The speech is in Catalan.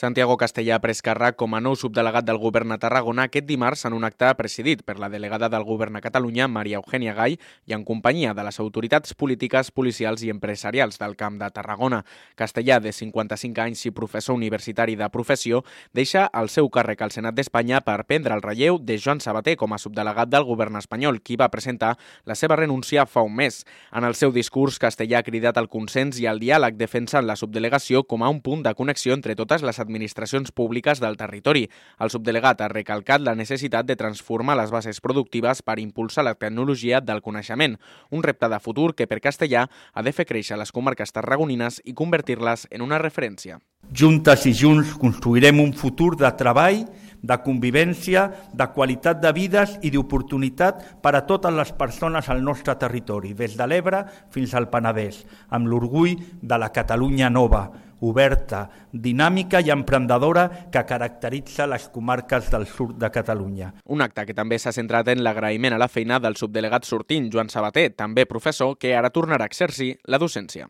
Santiago Castellà ha pres càrrec com a nou subdelegat del Govern a Tarragona aquest dimarts en un acte presidit per la delegada del Govern a Catalunya, Maria Eugènia Gay, i en companyia de les autoritats polítiques, policials i empresarials del Camp de Tarragona. Castellà, de 55 anys i professor universitari de professió, deixa el seu càrrec al Senat d'Espanya per prendre el relleu de Joan Sabater com a subdelegat del Govern espanyol, qui va presentar la seva renúncia fa un mes. En el seu discurs, Castellà ha cridat al consens i al diàleg, defensant la subdelegació com a un punt de connexió entre totes les administracions públiques del territori. El subdelegat ha recalcat la necessitat de transformar les bases productives per impulsar la tecnologia del coneixement, un repte de futur que per Castellà ha de fer créixer les comarques tarragonines i convertir-les en una referència. Juntes i junts construirem un futur de treball, de convivència, de qualitat de vides i d'oportunitat per a totes les persones al nostre territori, des de l'Ebre fins al Penedès, amb l'orgull de la Catalunya nova, oberta, dinàmica i emprenedora que caracteritza les comarques del sud de Catalunya. Un acte que també s'ha centrat en l'agraïment a la feina del subdelegat sortint, Joan Sabater, també professor, que ara tornarà a exercir la docència.